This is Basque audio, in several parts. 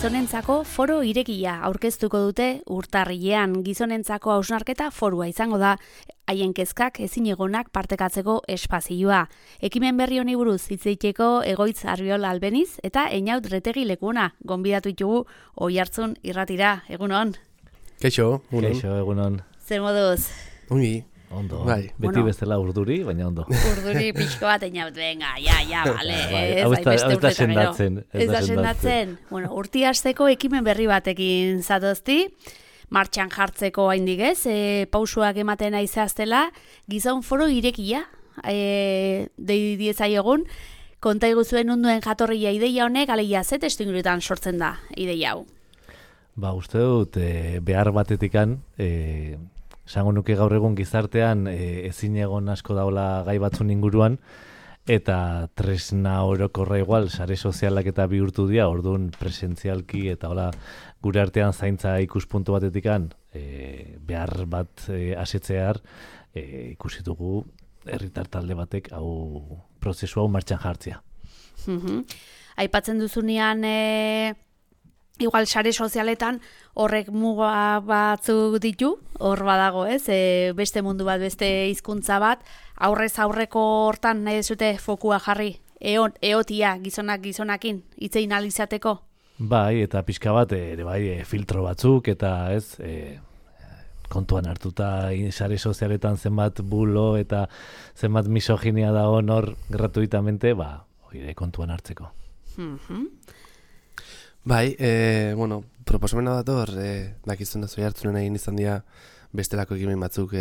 gizonentzako foro irekia aurkeztuko dute urtarrilean. Gizonentzako hausnarketa forua izango da, haien kezkak ezinegonak partekatzeko espazioa. Ekimen berri honi buruz hitz egiteko Egoitz Arriola Albeniz eta Einaut Retegi Lekuna gonbidatu ditugu Oihartzun irratira. Egunon. Kaixo, egunon. Kaixo, egunon. Zer moduz? Ongi. Ondo, bai. Beti bestela urduri, baina ondo. Urduri pixko bat Einaut, venga, ja, vale. Hau ez da sendatzen. Ez da sendatzen. Bueno, urti hasteko ekimen berri batekin zatozti. Martxan jartzeko haindik ez, pausuak ematen aizaztela, gizon foro irekia, deidiezai egun, konta iguzuen unduen jatorria ideia honek, alegia ze testuinguruetan sortzen da ideia hau? Uste dut, behar batetikan, esango nuke gaur egun gizartean ezin egon asko daula gai batzun inguruan, eta tresna orokorra igual, sare sozialak eta bihurtu dira, orduan presentzialki eta hola gure artean zaintza ikuspuntu batetikan behar bat asetzear ikusi dugu herritar talde batek hau prozesu hau martxan jartzea. Aipatzen duzunean igual sare sozialetan horrek muga batzuk ditu, hor badago ez, beste mundu bat, beste hizkuntza bat, aurrez aurreko hortan nahi dezute fokua jarri, eotia gizonakin, hitzein alizateko? Bai, eta pixka bat, ere bai, filtro batzuk, eta ez, kontuan hartuta sare sozialetan zenbat bulo eta zenbat misoginia dago hor gratuitamente, hori kontuan hartzeko. Bai, proposamena dator, dakizun da Oihartzunen egin izan dira bestelako ekimen batzuk,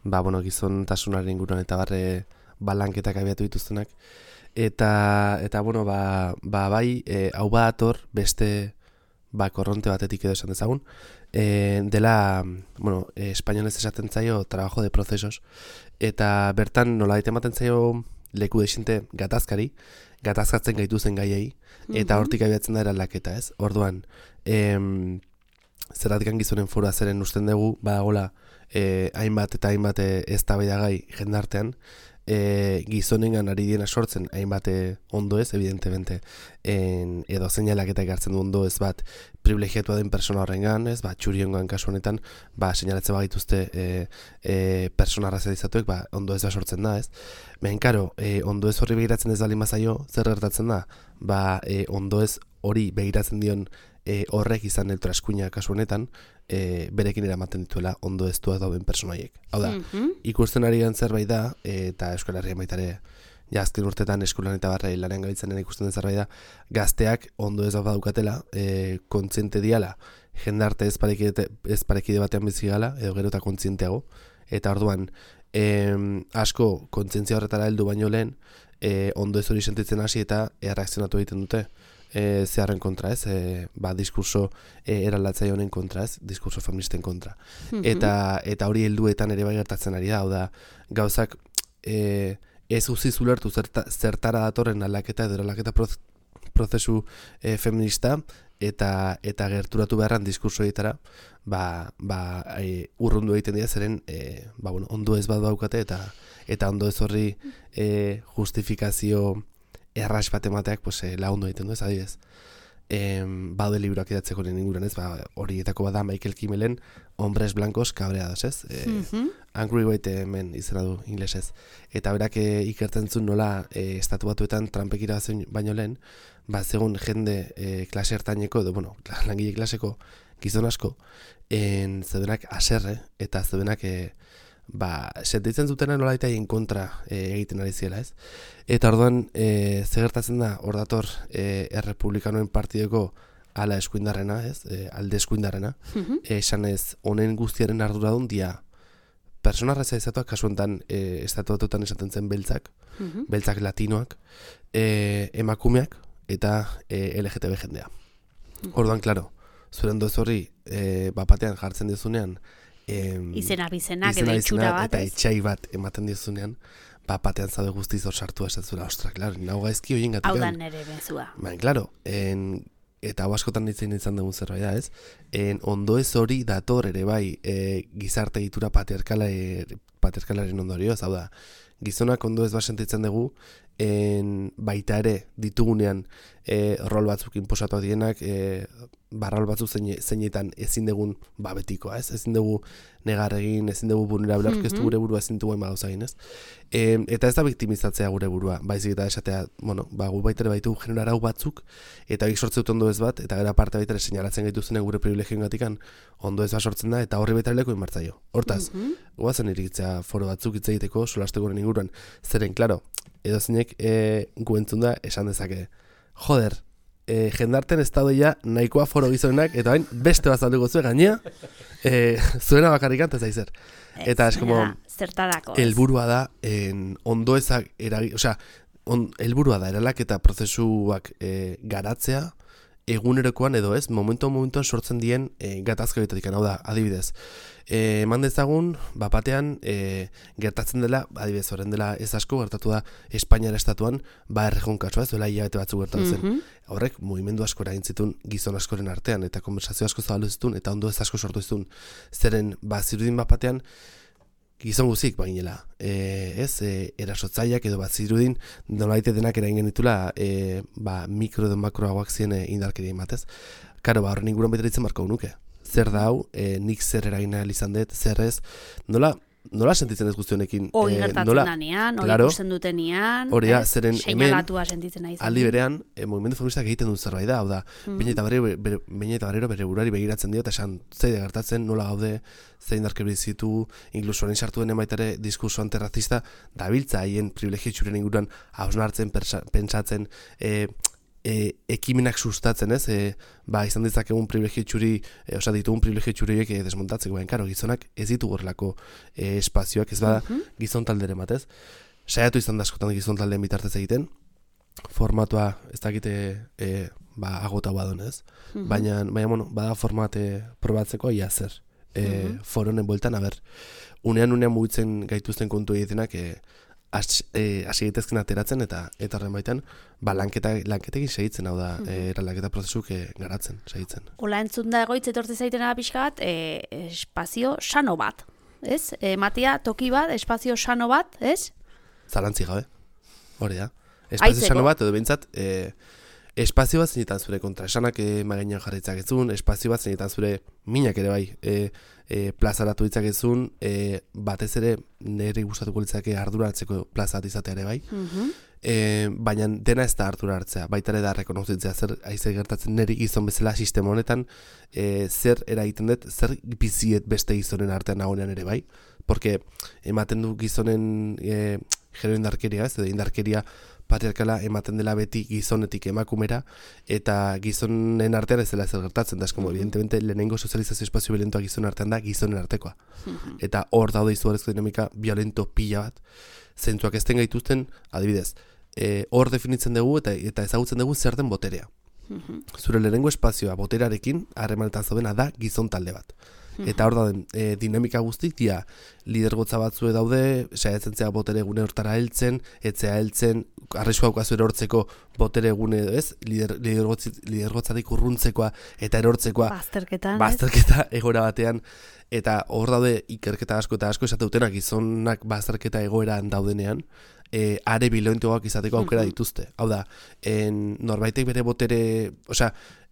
gizontasunaren inguruan eta barre balanketak abiatu dituztenak. Eta bai, hau badator beste korronte batetik edo esan dezagun, dela, espainolez esaten zaio trabajo de procesos, eta bertan nolabait ematen zaio leku desinte gatazkatzen gaituzen gaiei, eta hortik abiatzen da eraldaketa, ez? Orduan, zerratikan gizonen foroa zeren usten dugu, badagola, hainbat eztabaidagai jendartean, gizonengan ari diena sortzen hainbat ondo ez, evidentemente, edo seinalaketak hartzen du ondo ez bat privilegiatua den persona horrengan, ez, txuriongan kasu honetan, seinalatzen bagituzte persona arrazizatuek, ondo ez sortzen da, ez. Karo, ondo ez horri begiratzen ez dalin bazaio, zer gertatzen da? Ondo ez hori begiratzen dion horrek izan eltraskuina kasu honetan, berekin eramaten dituela ondo ez duak dauden personaiek. Hau da, ikusten ari gan zerbait da, eta Euskal Herrian baitare, azken urtetan eskolan eta barra lanean gabitzen ikusten den zerbait da, gazteak ondo ez daukatela, kontziente diala, jendarte ez parekide batean bizi gala, edo gero eta kontzienteago, eta orduan, asko kontzientzia horretara heldu baino lehen, ondo ez hori sentitzen hasi eta erreakzionatu egiten dute. Zeharren kontra, ez? Diskurso eraldatzai honen kontra, ez? Diskurso feministen kontra. Eta hori helduetan ere bai gertatzen ari da, hau da, gauzak ez uzi zulertu zertara datorren aldaketa edo aldaketa prozesu feminista eta gerturatu beharran diskurso egitara urrundu egiten dira zeren ondo ez bat daukate eta ondo ez horri justifikazio erraz bat emateak lagundu egiten du ez, adibidez. Baude libroak idatzeko nien inguran ez, horietako bada Michael Kimmelen Hombres Blancos Cabreados, ez? Angry White Men izena du inglesez. Eta berak ikertzen zuen nola estatu batuetan Trumpek irabazen baino lehen, zegoen jende klase ertaineko, langile klaseko gizon asko, zeudenak aserre eta zeudenak sentitzen zutena nola eta egin kontra egiten ari ziela, ez? Eta orduan, gertatzen da, hor dator errepublikanoen partideko ala eskuindarrena, ez? Alde eskuindarrena, esan ez, honen guztiaren arduradun dia persona razializatuak, kasu enten estatu batuetan esaten zen beltzak, beltzak latinoak, emakumeak eta LGTB jendea. Orduan, klaro, zuen doz horri bapatean jartzen dizunean, izenak edo itxura bat, eta etxai bat ematen dizunean, batean zaude guztiz hor sartu esatzula, ostra, klaro, nahu gaizki horien gatik. Hau da nere bezua. Klaro, eta hau askotan ditzen izan dugun zerbait da, ez? Ondo ez hori dator ere bai gizarte egitura patriarkalaren ondorioz, hau da, gizonak ondo ez sentitzen dugu baita ere ditugunean rol batzuk inposatu dienak, rol batzuk zeinetan ezin dugun betikoa, ez? Ezin dugu negar egin, ezin dugu vulnerable aurkeztu gure burua, ezin dugu gauza egin, ez? Eta ez da biktimizatzea gure burua, baizik eta esatea, gu baita ere baitu generarau batzuk, eta horiek sortze dut ondo ez bat, eta gara parte baita ere seinalatzen gaituzenen gure privilegioen gatikan ondo ez bat sortzen da, eta horri baita ere leko inmartzaio. Hortaz, guazen iritzea foro batzuk hitz egiteko, solasteko goren inguruan, zeren, klaro, edo zeinek gu entzun da esan dezake, joder, jendarten ez daudeia nahikoa foro gizonenak, eta bain beste bat zalduko zuen gainea, zuena bakarrik antez aizer. Eta es como, helburua da, ondo ezak helburua da, eralak eta prozesuak garatzea, egunerokoan edo ez, momentuan sortzen dien gatazka bitatik, hau da, adibidez. Eman dezagun, batean gertatzen dela, adibidez, horren dela ez asko, gertatu da Espainiara estatuan, errejon kasua, ez duela hilabete batzuk gertatu zen. Horrek, mugimendu asko eragin zituen gizon askoren artean, eta konversazio asko zabaldu zituen, eta ondo ez asko sortu zituen. Zeren, zirudin batean, gizon guzik baginela, erasotzaileak edo zirudin nolaite denak eragin genitula mikro edo makroagoak ziren indarkeria ematez. Karo, horren inguruan betaritzen marko nuke. Zer da hau, nik zer eragin ahal izan dut, zer ez, nola sentitzen ez guztionekin? Hori gertatzen danean, hori ikusten dutenean, seinalatua sentitzen nahi zen. Aldi berean, mugimendu feministak egiten dut zerbait da, hau da, Beñat eta Barrero bere burari begiratzen dio, eta esan zeide gertatzen, nola gaude, zein darke bizitu, inkluso orain sartu denen baita ere diskurso antirrazista, dabiltza haien privilegio txuren inguruan hausnartzen, pentsatzen, ekimenak sustatzen, ez? Izan ditzakegun privilegio txuri, ditugun privilegio txuriek desmontatzeko, karo, gizonak ez ditu gorlako espazioak, ez bada gizon talderen batez. Saiatu izan da askotan gizon taldeen bitartez egiten, formatua ez dakite agota badon, ez? Baina, bada formate probatzeko ia zer. Foronen bueltan, unean mugitzen gaituzten kontu egitenak, hasi gaitezken ateratzen eta horren baitan lanketekin segitzen, hau da, eraldaketa prozesuk garatzen, segitzen. Ola entzun da egoitz etortze zaitena pixka bat, espazio sano bat, ez? Matia, toki bat, espazio sano bat, ez? Zalantzi gabe, hori da. Espazio sano bat, edo behintzat, espazio bat zeinetan zure kontraesanak magainan jarritzak ezun, espazio bat zeinetan zure minak ere bai, plazaratu ditzakezun, batez ere nire gustatuko litzake ardura hartzeko plaza bat izatea ere bai, baina dena ez da ardura hartzea, baita ere da rekonozitzea zer aize gertatzen niri gizon bezala sistema honetan, zer eragiten dut, zer biziet beste gizonen artean nagoenean ere bai, porque ematen du gizonen gero indarkeria, ez edo indarkeria patriarkala ematen dela beti gizonetik emakumera, eta gizonen artean ez dela zer gertatzen, da eskomo, evidentemente, lehenengo sozializazio espazio violentoa gizonen artean da gizonen artekoa. Eta hor daude izugarrizko dinamika violento pila bat, zentzuak ezten gaituzten, adibidez, hor definitzen dugu eta ezagutzen dugu zer den boterea. Zure lehenengo espazioa boterearekin harremanetan zaudena da gizon talde bat. Eta hor dauden dinamika guztik dia lidergotza batzue daude, saiatzen zea botere gune hortara heltzen, etzea heltzen, arriskua daukazu erortzeko botere gune, ez? Lidergotzatik urruntzekoa eta erortzekoa bazterketa egora batean, eta hor daude ikerketa asko eta asko esate dutenak gizonak bazterketa egoeran daudenean, are bilentoak izateko aukera dituzte. Hau da, norbaitek bere botere,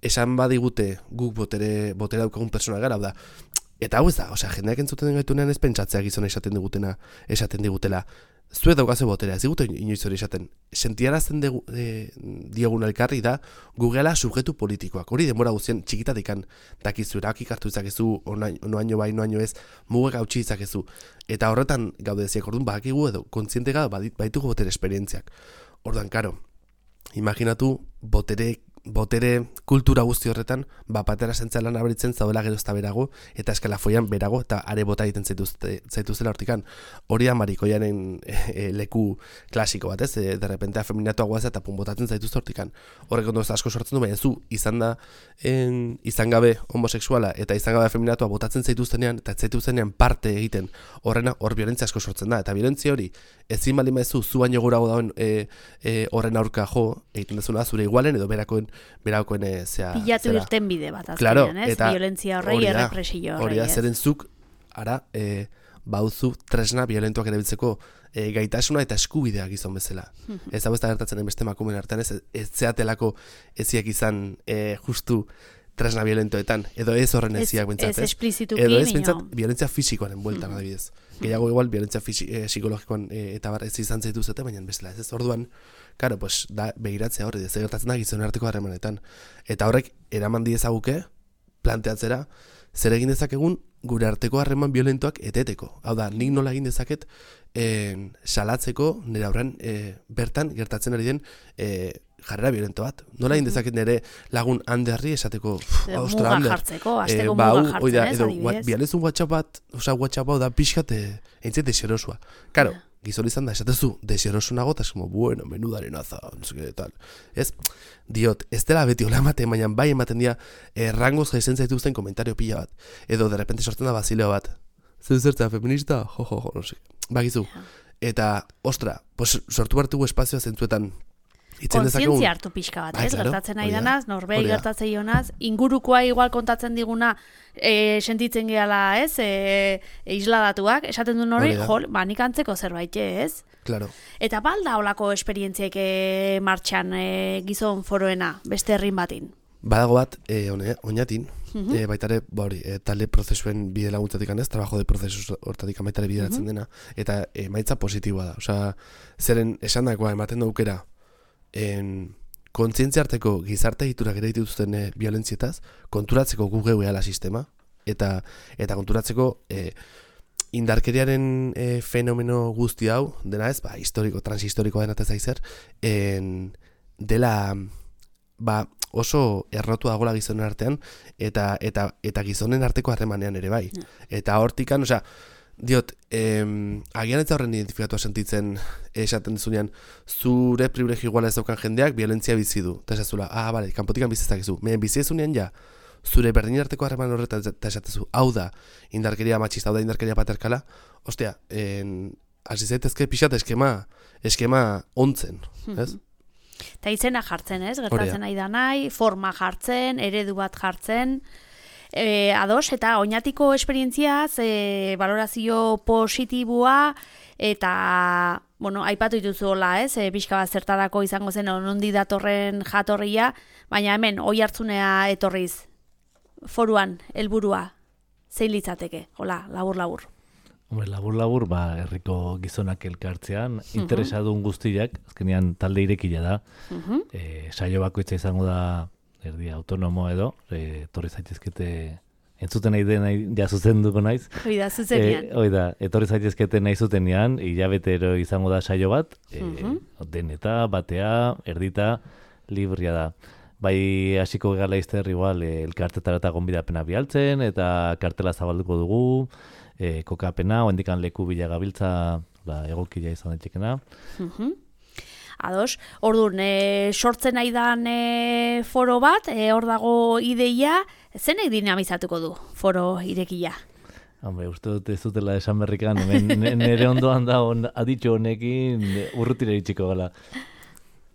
esan badigute guk botere daukagun persona gara, hau da, eta hau ez da, jendeak entzuten gaitunean ez pentsatzea gizona esaten digutela, zuet daukazu boterea, ez digute inoiz hori esaten, sentiarazten diogun elkarri da, gugela subjektu politikoak, hori denbora guztien txikitatikan dakizu, erakik hartu izakezu, noaino bai, noaino ez, mugak hautsi izakezu, eta horretan gaude ziak, orduan badakigu edo, kontziente gara baitugu botere esperientziak. Orduan, karo, imaginatu botere kultura guzti horretan, batera sentzalan aberitzen zaudela gero ezta berago, eta eskalafoian berago, eta are bota egiten zaituztela hortikan. Hori da marikoianen leku klasiko bat, ez? Derrepente afeminatu guaz eta botatzen zaituzte hortikan. Horrek ondo asko sortzen du, baina zu izan gabe homosexuala eta izan gabe afeminatua botatzen zaituztenean, eta zaituztenean parte egiten hor violentzia asko sortzen da, eta violentzia hori ezin baldin maizu zu baino gorago dauen horren aurka jo egiten dezuna zure igualen edo berakoen pilatu irten bide bat azkenean, ez? Violentzia horrei, errepresio horrei, hori da, zeren zuk ara bauzu tresna violentoak erabiltzeko gaitasuna eta eskubidea gizon bezala. Ez hau ez da gertatzen beste emakumeen artean, ez zeatelako eziak izan justu tresna violentoetan, edo ez horren eziak bentsat, ez esplizituki, edo ez bentsat violentzia fisikoaren bueltan adibidez. Gehiago igual violentzia psikologikoan eta bar ez izan zaituzete, baina bezala ez orduan, claro, pues da begiratzea hori, ez gertatzen da gizon arteko harremanetan. Eta horrek eraman diezaguke planteatzera zer egin dezakegun gure arteko harreman violentoak eteteko. Hau da, nik nola egin dezaket salatzeko nire aurrean bertan gertatzen ari den jarrera violento bat. Nola egin dezaket nire lagun handerri esateko muga jartzeko, azteko muga jartzen ez, adibidez. Bialezun WhatsApp hau da pixkat entzet deserosua. Karo, gizon izan da, esatezu deserosu nago, eta como, bueno, menudaren aza, no sé qué tal. Ez, diot, ez dela beti hola ematen, baina bai ematen dira rangoz jaisen zaituzten komentario pila bat. Edo, de repente sortzen da bazileo bat. Zertza, feminista? Jo, no sé. Bagizu. Eta, ostra, pues, sortu bartugu espazioa zentzuetan kontzientzia hartu pixka bat, ez? Gertatzen nahi danaz, norbei gertatzen ionaz, ingurukoa igual kontatzen diguna sentitzen gehala, ez? Isladatuak, esaten du nori, nik antzeko zerbait, ez? Claro. Eta balda holako esperientziek martxan gizon foroena, beste herrin batin? Badago bat, oinatin, baitare, talde prozesuen bide laguntzatik anez, trabajo de prozesus hortatik baitare bideratzen dena, eta emaitza positiboa da. Osea, zeren esan dagoa ematen daukera, kontzientzia arteko gizarte egiturak ere dituzten violentzietaz, konturatzeko gu geu ehala sistema, eta konturatzeko indarkeriaren fenomeno guzti hau, dena ez, transhistorikoa dena tezaizer, dela oso errotu dagoela gizonen artean, eta gizonen arteko harremanean ere bai. Eta hortikan, osea, diot, agian ez horren identifikatua sentitzen esaten dizunean, zure privilegio iguala ez daukan jendeak violentzia bizi du. Eta esazula, bale, kanpotikan bizizakizu. Mehen bizi ezunean ja, zure berdin arteko harreman horretan eta esatezu, hau da indarkeria matxista, hau da indarkeria paterkala, ostia, hasi zaitezke pixat eskema ontzen, ez? Eta izena jartzen, ez? Gertatzen nahi da nahi, forma jartzen, eredu bat jartzen, ados, eta oinatiko esperientziaz, valorazio positiboa, eta, bueno, aipatu dituzuela, ez? Pixka bat zertarako izango zen onondi datorren jatorria, baina hemen, oi hartzunea etorriz, foruan, helburua, zein litzateke, hola, labur-labur. Hombre, labur-labur, herriko gizonak elkartzean, interesadun guztiak, azkenean talde irekila da, saio bakoitza izango da, erdi autonomo edo, etorri zaitezkete, entzuten nahi den ja zuzenduko naiz. Oida, zuzenean. Oida, etorri zaitezkete nahi zutenean, hilabetero izango da saio bat, deneta, batea, erdita, libria da. Bai, hasiko gala izter, igual, elkartetara eta gonbidapena bialtzen, eta kartela zabalduko dugu, kokapena, oendikan leku bila gabiltza, egokila izan daitxekena. Ados, orduan, sortzen nahi dan foro bat, hor dago ideia, zenek dinamizatuko du foro irekia? Hombre, uste dut ez dutela esan berrikan, nire ondoan da aditxo honekin urrutira itxiko gala.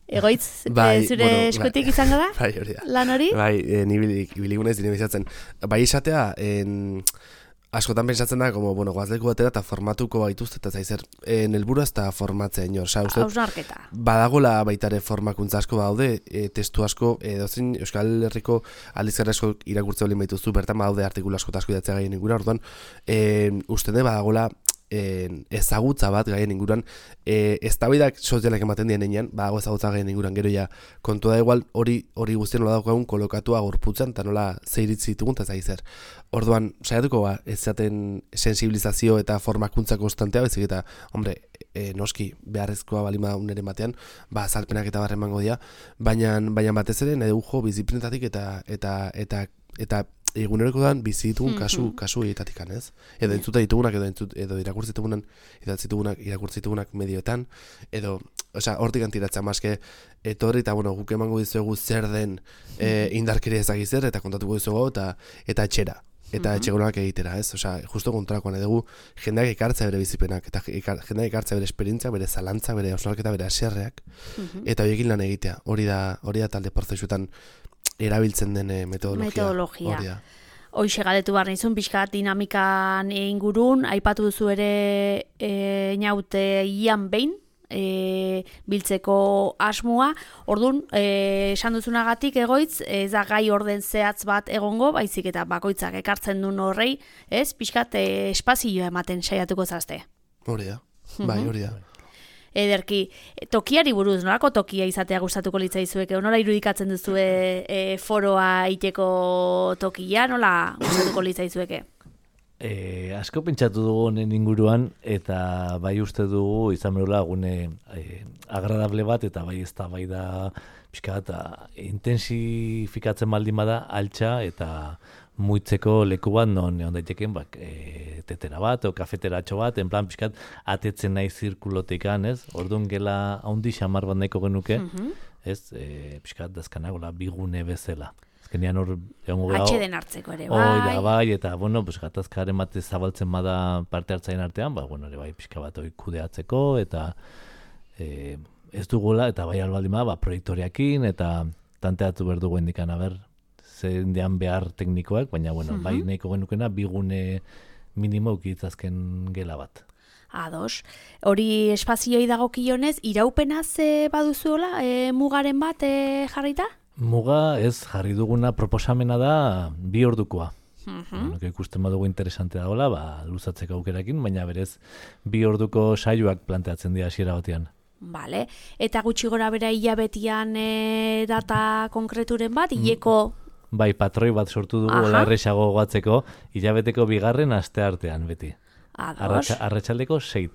Egoitz, zure eskutik izango da? Bai, hori da. Lan hori? Bai, ni biligunez dinamizatzen. Bai, esatea, askotan pensatzen da, como, bueno, goazleku batera eta formatuko baituzte, eta zaizer, helburua ez da formatzea inor. Hausnarketa. Badagola baitare formakuntza asko daude, testu asko, dozein Euskal Herriko aldizkari asko irakurtze olin baituzu, bertan badaude artikulu asko asko idatzea gaien ingura, orduan, uste de badagola ezagutza bat gaien inguruan, eztabaidak sozialak ematen dien enean, badago ezagutza gaien inguruan, gero ja, kontua da igual hori guztien nola daukagun kolokatua gorputzen, eta nola zeiritzi ditugun, eta zaizer. Orduan, saiatuko ez zaten sensibilizazio eta formakuntza konstantea, bezik eta, hombre, noski beharrezkoa balima uneren batean, azalpenak eta barren mango dira, baina batez ere, nahi dugu biziprinetatik eta eguneroko dan bizi ditugun kasu egitatikan, ez? Edo entzuta ditugunak, edo irakurtzi ditugunak medioetan, edo, hortik antiratzea maske, etorri eta, bueno, guk emango dizuegu zer den indarkeria ezagizer, eta kontatuko dizuegu, eta etxera. Eta etxegonak egitera, ez? Justo kontrakoan edugu, jendeak ekartza bere bizipenak, eta jendeak ekartza bere esperientzia, bere zalantza, bere osnarketa, bere aserreak, eta horiekin lan egitea. Hori da talde prozesuetan erabiltzen den metodologia. Hoixe galetu behar nizun, pixkat dinamikan ingurun, aipatu duzu ere inaute ian behin, biltzeko asmoa. Orduan, esan duzunagatik egoitz, ez da gai orden zehatz bat egongo, baizik eta bakoitzak ekartzen duen horrei, ez? Pixkat espazioa ematen saiatuko zazte. Hori da, bai, hori da. Ederki, tokiari buruz, nolako tokia izatea gustatuko litzaizueke? Nola irudikatzen duzue foroa iteko tokia, nola gustatuko litzaizueke? Asko pentsatu dugu honen inguruan, eta bai uste dugu izan berula gune agradable bat, eta bai ez da bai da pixka bat intensifikatzen baldin bada altxa eta muitzeko leku bat non daiteken tetera bat o kafeteratxo bat, en plan pixkat atetzen nahi zirkulotikan, ez? Orduan gela haundi xamar bat nahiko genuke, ez? Pixkat dazkanagola bigune bezala. Azkenean hor egongo gau. Atxeden hartzeko ere, bai. Hoi da, bai, eta, bueno, gatazkaren bat zabaltzen bada parte hartzaien artean, ere bai, pixka bat hori kudeatzeko, eta ez dugula, eta bai albaldin bada, proiektoriakin, eta tanteatu behar dugu indikan, zendean behar teknikoak, baina, bai nahiko genukena, bigune minimo ukitzazken gela bat. Ados. Hori espazioi dagokionez, iraupenaz baduzuela, mugaren bat jarrita? Muga ez jarri duguna proposamena da 2 ordukoa. Ikusten badugu interesante dagoela, luzatzeko aukerakin, baina berez 2 orduko saioak planteatzen dira hasiera batean. Vale. Eta gutxi gora bera hilabetian data konkreturen bat, hileko... Bai, patroi bat sortu dugu, hola erresago goatzeko, hilabeteko 2. asteartean beti. Ados. Arratsaldeko 6.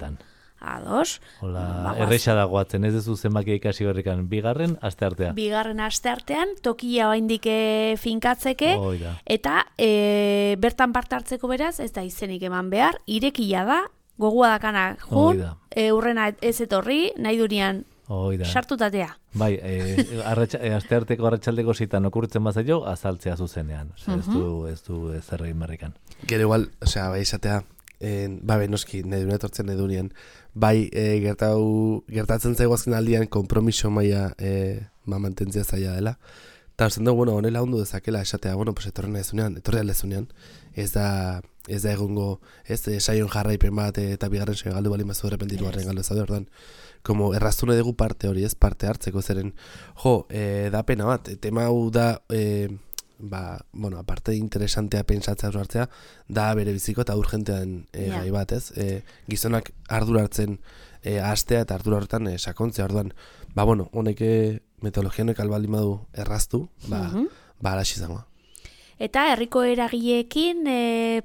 Ados. Hola, erresa dagoatzen, ez duzu zenbakia ikasi horrekan, 2. asteartea. 2. asteartean, tokia oraindik finkatzeke, eta bertan parte hartzeko beraz, ez da izenik eman behar, irekia da, gogua dakana jun, urrena ez etorri, nahi durian sartutatea. Bai, astearteko arratsaldeko 6 okurritzen bazaio, azaltzea zuzenean. Ez du zerrein berrikan. Gero igual, bai izatea, noski, nahi duen etortzen nahi dunean, bai gertatzen zaigu azken aldian kompromiso maila mantentzia zaila dela. Eta usten dugu, honela hundu dezakela esatea, etorren lezunean, ez da egongo, saion jarraipen bat eta 2. saio galdu bali mazu errepentitu garren galdu ezade, ordan, como erraztune dugu parte hori, ez parte hartzeko zeren, da pena bat, tema hau da, aparte interesantea pentsatzea hartzea, da bere biziko eta urgentean gai bat, ez? Gizonak ardura hartzen hastea eta ardura horretan sakontzea, orduan, honek metodologianek albaldin badu erraztu, alaxi zangoa. Eta herriko eragileekin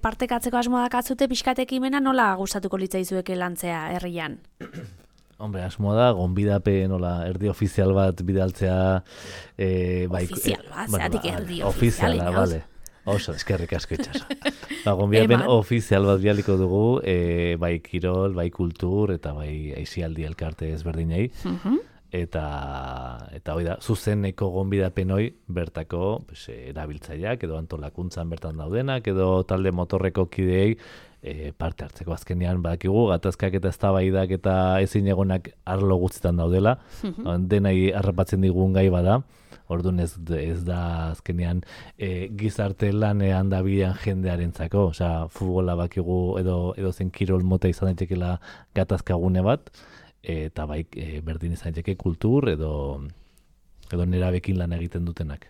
partekatzeko asmoa dakatzute pixkatekimena nola gustatuko litzaizueke lantzea herrian? Hombre, asmoa da, gonbidape nola erdi ofizial bat bidaltzea... Ofizial bat, zeatik erdi ofizial. Ofiziala, bale. Oso, eskerrik asko itxaso. Gonbidapen ofizial bat bialiko dugu, bai kirol, bai kultur, eta bai aisialdi elkarte ezberdinei. Eta hoi da, zuzeneko gonbidapen hoi bertako erabiltzaileak edo antolakuntzan bertan daudenak edo talde motorreko kideei parte hartzeko. Azkenean badakigu gatazkak eta eztabaidak eta ezin egonak arlo guztietan daudela, denai harrapatzen digun gai bada. Orduan ez da azkenean gizarte lanean dabilen jendearentzako, futbola bakigu edo zen kirol mota izan daitekela gatazkagune bat, eta bai berdin izan daiteke kultur edo nerabekin lan egiten dutenak.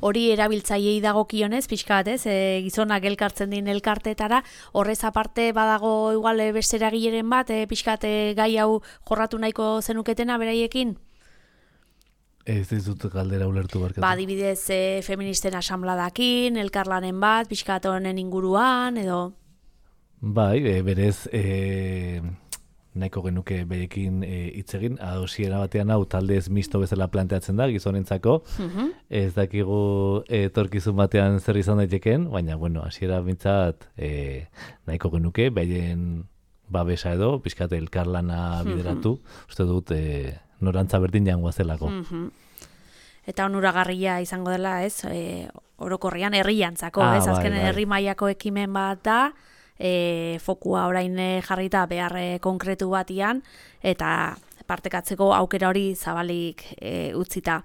Hori erabiltzaileei dagokionez, pixka bat, ez? Gizonak elkartzen din elkarteetara, horrez aparte badago igual beste eragileren bat, pixka bat gai hau jorratu nahiko zenuketena beraiekin? Ez dizut galdera ulertu barkatu. Adibidez, feministen asambladakin, elkarlanen bat, pixka bat honen inguruan, edo... Bai, berez... nahiko genuke berekin hitz egin, adosiera batean hau talde ez misto bezala planteatzen da gizonentzako, ez dakigu etorkizun batean zer izan daitekeen, baina, hasiera bintzat nahiko genuke, behaien babesa edo, pixkate elkarlana bideratu, uste dut norantza berdin jangoa zelako. Eta onuragarria izango dela, ez, orokorrian herriantzako, ez, azken herri mailako ekimen bat da, fokua orain jarrita behar konkretu batian eta partekatzeko aukera hori zabalik utzita.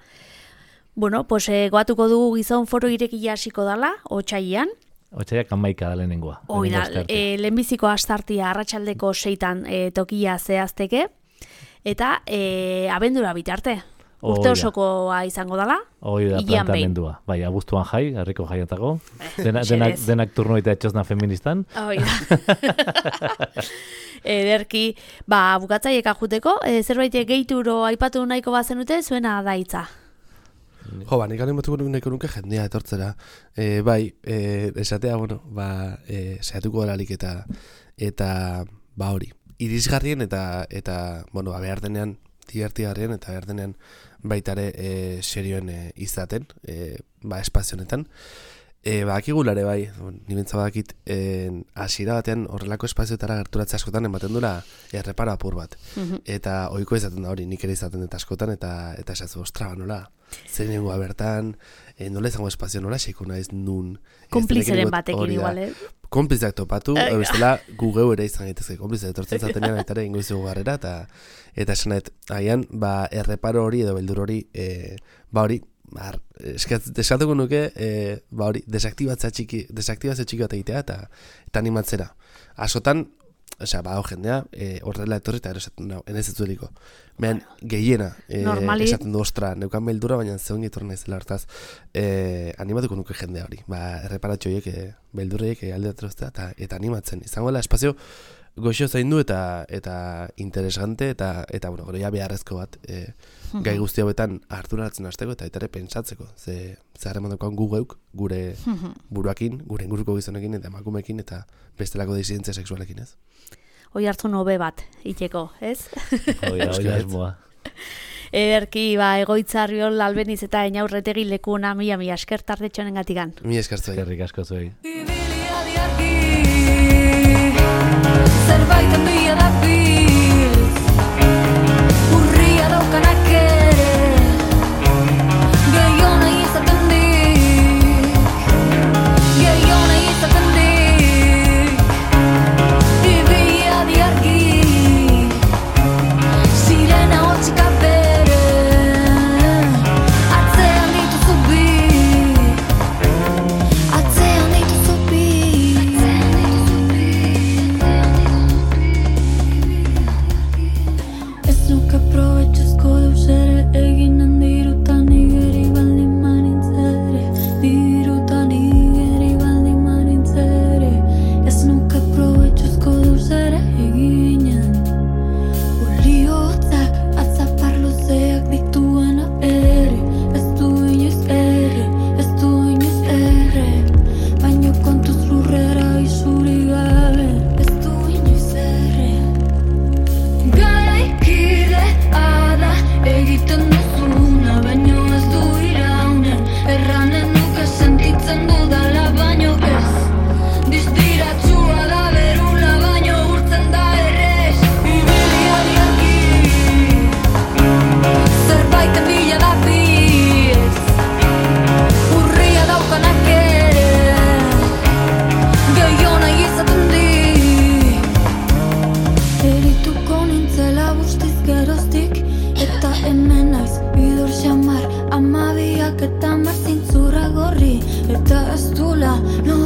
Bueno, pues goatuko dugu gizon foro irekia hasiko dala, otsailean. Otsaiak 11 da lehenengoa. Hoi da, lehenbiziko astartia arratsaldeko 6 tokia zehazteke, eta abendura bitarte. Urte osokoa izango dala. Hoi da, planteamendua. Bai, abuztuan jai, herriko jaiatako. Denak turno eta etxosna feministan. Hoi da. Ederki, bukatzaiek ajuteko, zerbait gehituro aipatu nahiko bazenute, zuena da hitza. Jo, nik animatuko nahiko nuke jendea etortzera. Bai, esatea, bueno, saiatuko delarik eta hori. Irisgarrien eta bueno, behar denean, divertigarrien eta behar denean baitare serioen izaten, espazionetan. Akigulare bai, nibentza badakit, hasiera batean horrelako espazioetara gerturatze askotan ematen dula erreparo apur bat. Eta ohiko izaten da hori, nik ere izaten dut askotan, eta esatzu, ostra, nola, zer nengoa bertan, nola izango espazio, nola xeiko naiz nun. Konplizeren batekin igual, Konplizak topatu, bestela gu geu ere izan gaitezke, konplizak etortzen zatenean aitare ingo izugu garrera, eta esanet, agian, erreparo hori edo beldur hori, hori, eskatuko nuke, hori, desaktibatze txiki bat egitea eta animatzera. Asotan, jendea, horrela etorri eta erosatzen dago, enez etzueliko. Mehan, gehiena, esaten du, ostra, neukan beldura, baina zeon gitorren ez dela hortaz, animatuko nuke jendea hori. Erreparatxo horiek, beldurreiek aldeatroztea eta animatzen. Izango dela, espazio goxo zaindu eta interesante eta bueno, gero ja beharrezko bat gai guzti hauetan harturatzen hasteko eta ere pentsatzeko. Ze harreman daukan gu geuk gure buruakin, gure inguruko gizonekin eta emakumeekin eta bestelako disidentzia sexualekin, ez? Hoi hartzun hobe bat, itxeko, ez? Hoi asmoa. Ederki, egoitzarriol albeniz eta Einaurretegi lekuna mila esker tardetxonen gatikan. Mila esker zuei. Eskerrik asko zuei. Zerbait handia da biz urria daukanak ere gehiona izaten dik gehiona izaten dik ibia diargi sirena hotxika bere atzean dituzu bi atzean dituzu bi eginen dirutan igeri baldin manintzere dirutan igeri baldin manintzere ez nuke probetxuzko duzere eginen oliotzak atzapar luzeak dituena ere ez du inoiz erre baino kontuz lurrera izuri gabe ez du inoiz erre garaikide ada egiten duzuna, baino ez du iraunen erranen nuke sentitzen dudala, baino ez distiratsua da berula, baino urtzen da errez ibilia diarki zerbaiten bila da biz urria daukanak ere gehiona izaten dik erituko nintzela guztiz geroztik eta hemen naiz bidor xamar amabiak eta marzintzura gorri eta ez dula no